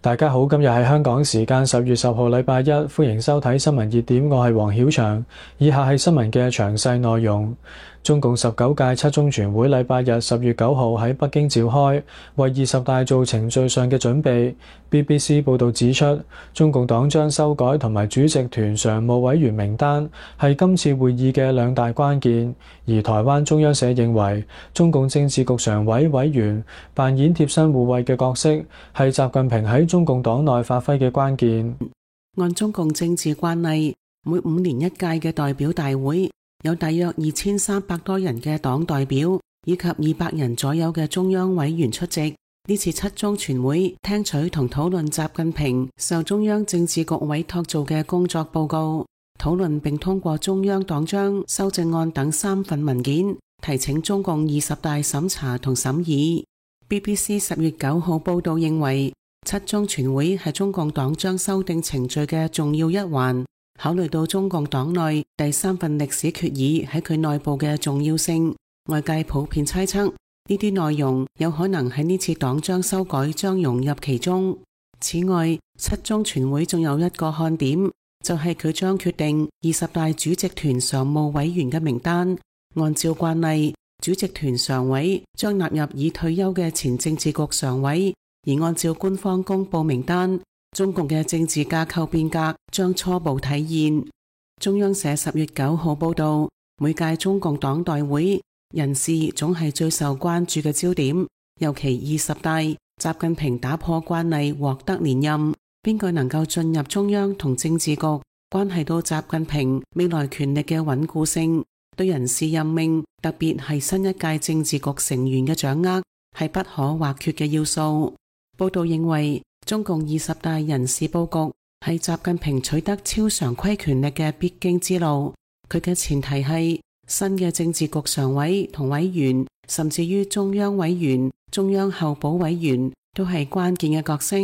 大家好，今日係香港時間10月10號禮拜一，歡迎收睇新聞熱點，我係黃曉翔。以下係新聞嘅詳細內容。中共19屆七中全會禮拜日10月9號喺北京召開，為20大做程序上嘅準備。BBC 報導指出，中共黨章修改同埋主席團常務委員名單係今次會議嘅兩大關鍵。而台灣中央社認為，中共政治局常委委員扮演貼身護衛嘅角色，係習近平喺中共黨內發揮嘅關鍵。按中共政治慣例，每5年一屆嘅代表大會有大約2300多人嘅黨代表，以及200人左右嘅中央委員出席。呢次七中全會聽取同討論習近平受中央政治局委託做嘅工作報告，討論並通過中央黨章修正案等3份文件，提請中共20大審查同審議。BBC 10月9號報導認為，七中全會係中共黨章修訂程序嘅重要一環，考慮到中共黨內第3份歷史決議喺佢內部嘅重要性，外界普遍猜測呢啲內容有可能喺呢次黨章修改將融入其中。此外，七中全會仲有一個看點，就係佢將決定20大主席團常務委員嘅名單。按照慣例，主席團常委將納入已退休嘅前政治局常委，而按照官方公布名單，中共嘅政治架構變革將初步體現。中央社10月9號報道，每屆中共黨代會人事總係最受關注嘅焦點，尤其20大，習近平打破慣例獲得連任，邊個能夠進入中央同政治局，關係到習近平未來權力嘅穩固性。對人事任命，特別係新一屆政治局成員嘅掌握，係不可或缺嘅要素。報道認為，中共20大人事佈局係習近平取得超常規權力嘅必經之路。佢嘅前提係新嘅政治局常委同委員，甚至於中央委員、中央候補委員都係關鍵嘅角色。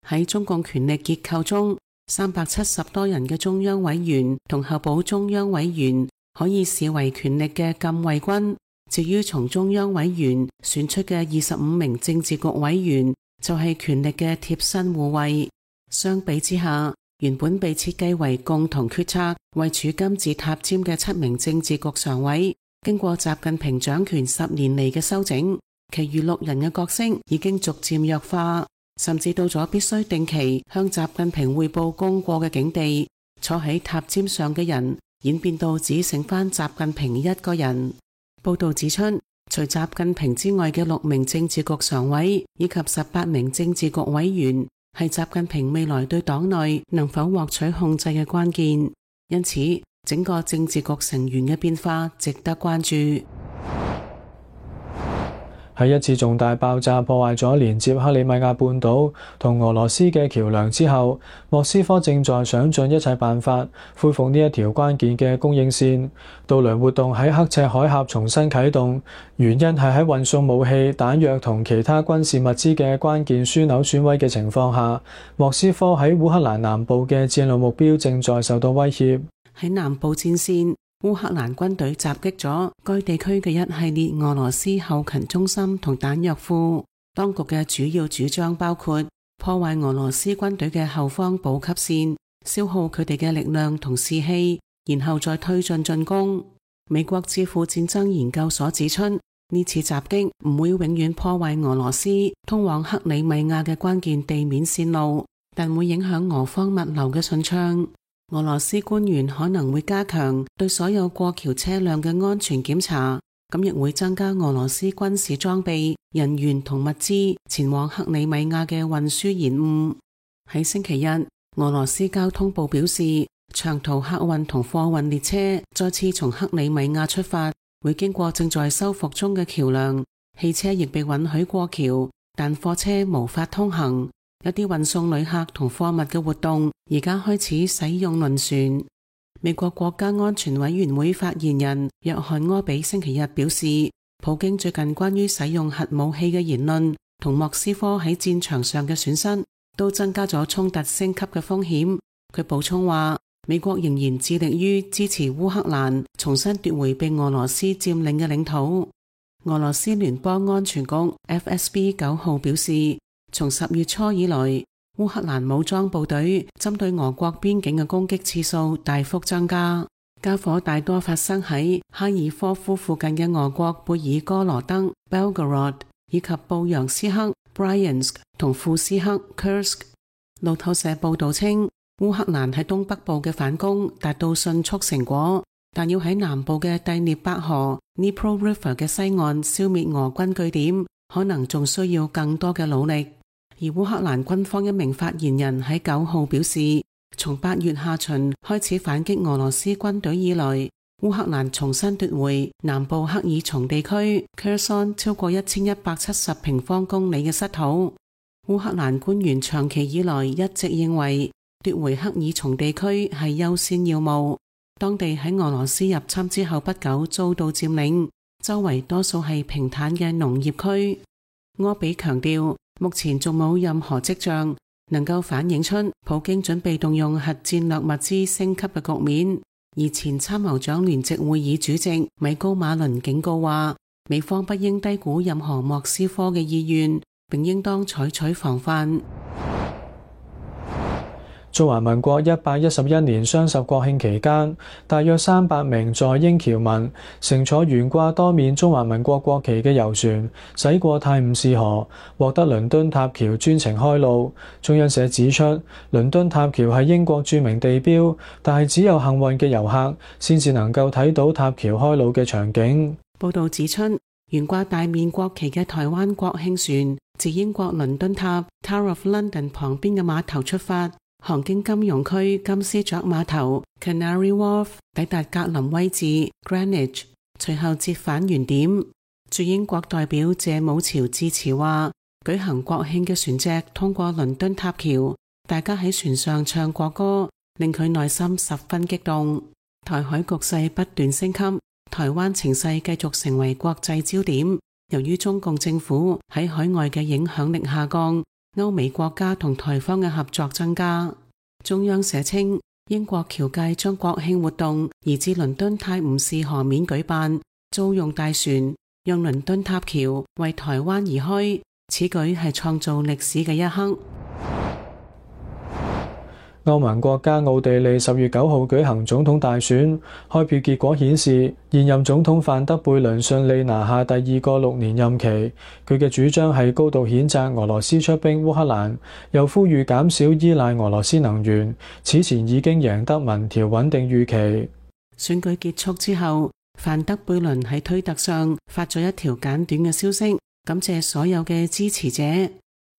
喺中共權力結構中，370多人嘅中央委員同候補中央委員可以視為權力嘅禁衛軍。至於從中央委員選出嘅25名政治局委員，就係權力嘅貼身護衛。相比之下，原本被設計為共同決策、位處金字塔尖嘅7名政治局常委，經過習近平掌權10年嚟嘅修整，其餘6人嘅角色已經逐漸弱化，甚至到咗必須定期向習近平匯報功過嘅境地。坐喺塔尖上嘅人演變到只剩返習近平一個人。報道指出，除習近平之外嘅6名政治局常委以及18名政治局委員，係習近平未來對黨內能否獲取控制嘅關鍵。因此，整個政治局成員嘅變化值得關注。喺一次重大爆炸破壞咗連接克里米亞半島同俄羅斯嘅橋梁之後，莫斯科正在想盡一切辦法恢復呢一條關鍵嘅供應線。渡輪活動喺刻赤海峽重新啟動，原因係喺運送武器、彈藥同其他軍事物資嘅關鍵樞紐損毀嘅情況下，莫斯科喺烏克蘭南部嘅戰略目標正在受到威脅。喺南部戰線，烏克蘭軍隊襲擊咗該地區嘅一系列俄羅斯後勤中心同彈藥庫。當局嘅主要主張包括破壞俄羅斯軍隊嘅後方補給線，消耗佢哋嘅力量同士氣，然後再推進進攻。美國智庫戰爭研究所指出，呢次襲擊唔會永遠破壞俄羅斯通往克里米亞嘅關鍵地面線路，但會影響俄方物流嘅順暢。俄羅斯官員可能會加強對所有過橋車輛嘅安全檢查，咁亦會增加俄羅斯軍事裝備、人員同物資前往克里米亞嘅運輸延誤。喺星期日，俄羅斯交通部表示，長途客運同貨運列車再次從克里米亞出發，會經過正在修復中嘅橋梁。汽車亦被允許過橋，但貨車無法通行。有啲運送旅客同貨物嘅活動而家開始使用輪船。美國國家安全委員會發言人約翰柯比星期日表示，普京最近關於使用核武器嘅言論同莫斯科喺戰場上嘅損失都增加咗衝突升級嘅風險。佢補充話，美國仍然致力於支持烏克蘭重新奪回被俄羅斯佔領嘅領土。俄羅斯聯邦安全局 FSB 9號表示，從10月初以來，烏克蘭武裝部隊針對俄國邊境嘅攻擊次數大幅增加，交火大多發生喺哈爾科夫附近嘅俄國貝爾哥羅德 Belgorod 以及布揚斯克 Bryansk 同庫斯克 Kursk。路透社報道稱，烏克蘭喺東北部嘅反攻達到迅速成果，但要喺南部嘅第聶伯河 Dnipro River 嘅西岸消滅俄軍據點，可能仲需要更多嘅努力。而烏克蘭軍方一名發言人喺9號表示，從8月下旬開始反擊俄羅斯軍隊以來，烏克蘭重新奪回南部克爾松地區 Kherson 超過1170平方公里嘅失土。烏克蘭官員長期以來一直認為奪回克爾松地區係優先要務。當地喺俄羅斯入侵之後不久遭到佔領，周圍多數係平坦嘅農業區。柯比強調，目前仲冇任何跡象能夠反映出普京準備動用核戰略物資升級嘅局面。而前參謀長聯席會議主席米高馬倫警告話，美方不應低估任何莫斯科嘅意願，並應當採取防範。中華民國111年雙十國慶期間，大約300名在英僑民乘坐懸掛多面中華民國國旗嘅遊船駛過泰晤士河，獲得倫敦塔橋專程開路。中央社指出，倫敦塔橋係英國著名地標，但係只有幸運嘅遊客先至能夠睇到塔橋開路嘅場景。報導指出，懸掛大面國旗嘅台灣國慶船自英國倫敦塔 Tower of London 旁邊嘅碼頭出發，航經金融區金絲雀碼頭 Canary Wharf， 抵達格林威治 Greenwich， 隨後折返原點。駐英國代表謝武朝致辭話，舉行國慶嘅船隻通過倫敦塔橋，大家喺船上唱國歌，令佢內心十分激動。台海局勢不斷升級，台灣情勢繼續成為國際焦點。由於中共政府喺海外嘅影響力下降，歐美國家同台方嘅合作增加。中央社稱，英國僑界將國慶活動移至倫敦泰晤士河面舉辦，租用大船，讓倫敦塔橋為台灣而開。此舉係創造歷史嘅一刻。歐盟國家奧地利10月9號舉行總統大選，開票結果顯示，現任總統范德貝倫順利拿下第2個6年任期。佢嘅主張係高度譴責俄羅斯出兵烏克蘭，又呼籲減少依賴俄羅斯能源。此前已經贏得民調穩定預期。選舉結束之後，范德貝倫喺推特上發咗一條簡短嘅消息，感謝所有嘅支持者。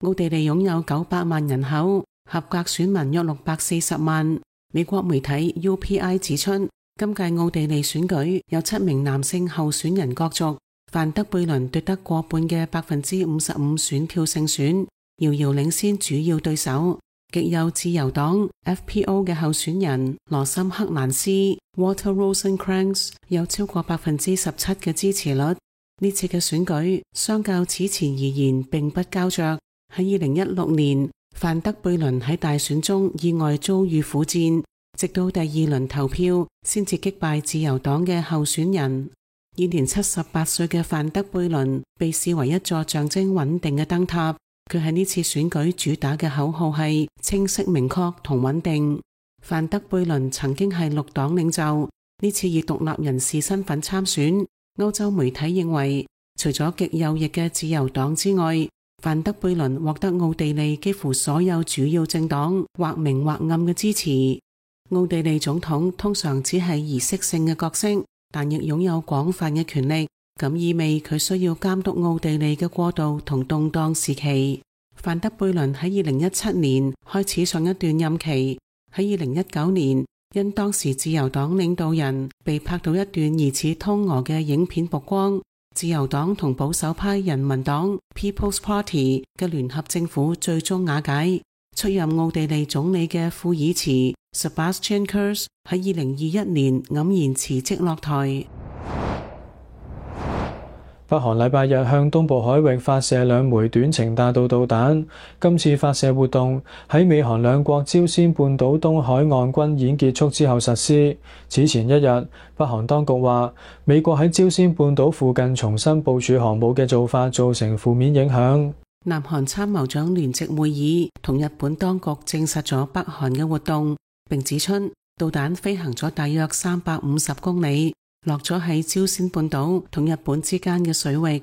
奧地利擁有900萬人口，合格選民約640萬。美國媒體 UPI 指出，今屆奧地利選舉有7名男性候選人角逐，范德貝倫奪得過半嘅55%選票勝選，遙遙領先主要對手極右自由黨 FPO 嘅候選人羅森克蘭斯 Walter Rosencrantz 有超過17%嘅支持率。呢次嘅選舉相較此前而言並不膠着。喺2016年，范德貝倫喺大選中意外遭遇苦戰，直到第2輪投票先至擊敗自由黨嘅候選人。現年78歲嘅范德貝倫被視為一座象徵穩定嘅燈塔。佢喺呢次選舉主打嘅口號係清晰明確同穩定。范德貝倫曾經係綠黨領袖，呢次以獨立人士身份參選。歐洲媒體認為，除咗極右翼嘅自由黨之外，范德貝倫獲得奧地利幾乎所有主要政黨或明或暗嘅支持。奧地利總統通常只係儀式性嘅角色，但亦擁有廣泛嘅權力，咁意味佢需要監督奧地利嘅過渡同動盪時期。范德貝倫喺2017年開始上一段任期，喺2019年因當時自由黨領導人被拍到一段疑似通俄嘅影片曝光，自由黨同保守派人民黨 People's Party 嘅聯合政府最終瓦解。出任奧地利總理嘅庫爾茨 Sebastian Kurz 喺2021年黯然辭職落台。北韓禮拜日向東部海域發射2枚短程彈道導彈。今次發射活動喺美韓兩國朝鮮半島東海岸軍演結束之後實施。此前一日，北韓當局話，美國喺朝鮮半島附近重新部署航母嘅做法造成負面影響。南韓參謀長聯席會議同日本當局證實咗北韓嘅活動，並指出導彈飛行咗大約350公里，落咗喺朝鮮半島同日本之間嘅水域。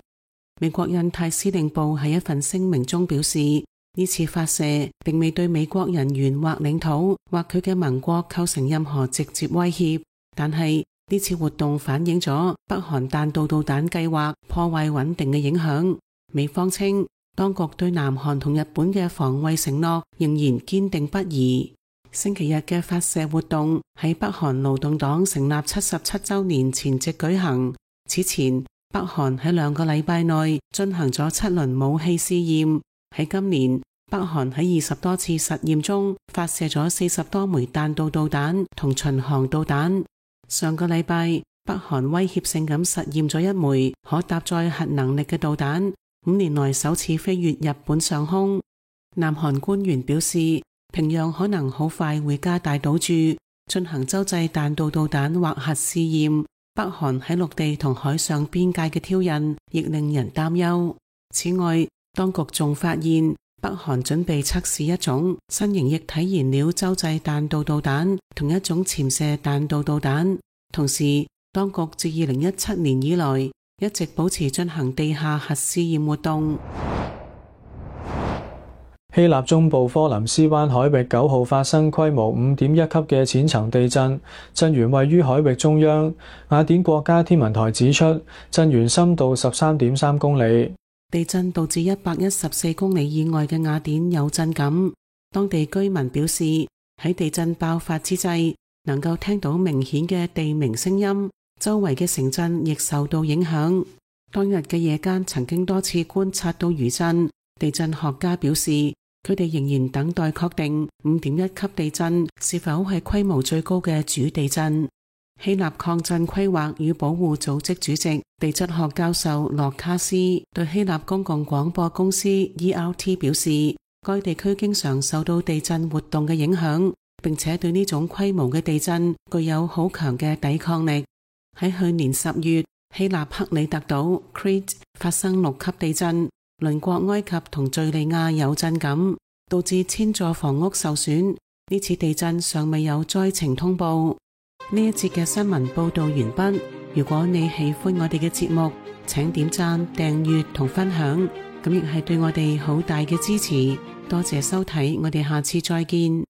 美國印太司令部喺一份聲明中表示，呢次發射並未對美國人員或領土或佢嘅盟國構成任何直接威脅，但係呢次活動反映咗北韓彈道導彈計劃破壞穩定嘅影響。美方稱，當局對南韓同日本嘅防衛承諾仍然堅定不移。星期日嘅發射活動喺北韓勞動黨成立77週年前夕舉行。此前，北韓喺2個禮拜內進行咗7輪武器試驗。喺今年，北韓喺20多次實驗中發射咗40多枚彈道導彈同巡航導彈。上個禮拜，北韓威脅性咁實驗咗1枚可搭載核能力嘅導彈，5年內首次飛越日本上空。南韓官員表示，平壤可能好快會加大賭注，進行洲際彈道導彈或核試驗。北韓喺陸地同海上邊界嘅挑釁亦令人擔憂。此外，當局仲發現北韓準備測試一種新型液體燃料洲際彈道導彈同一種潛射彈道導彈。同時，當局自2017年以來一直保持進行地下核試驗活動。希臘中部科林斯灣海域9號發生規模5.1級嘅淺層地震，震源位於海域中央。雅典國家天文台指出，震源深度13.3公里。地震導致114公里以外嘅雅典有震感。當地居民表示，喺地震爆發之際，能夠聽到明顯嘅地鳴聲音，周圍嘅城鎮亦受到影響。當日嘅夜間曾經多次觀察到餘震。地震學家表示，佢哋仍然等待確定5.1級地震是否係規模最高嘅主地震。希臘抗震規劃與保護組織主席、地質學教授洛卡斯對希臘公共廣播公司 ERT 表示，該地區經常受到地震活動嘅影響，並且對呢種規模嘅地震具有好強嘅抵抗力。喺去年10月，希臘克里特島 Crete 發生6級地震，鄰國埃及同敘利亞有震感，導致1000座房屋受損。呢次地震尚未有災情通報。呢一節嘅新聞報道完畢。如果你喜歡我哋嘅節目，請點讚、訂閱同分享，咁亦係對我哋好大嘅支持。多謝收睇，我哋下次再見。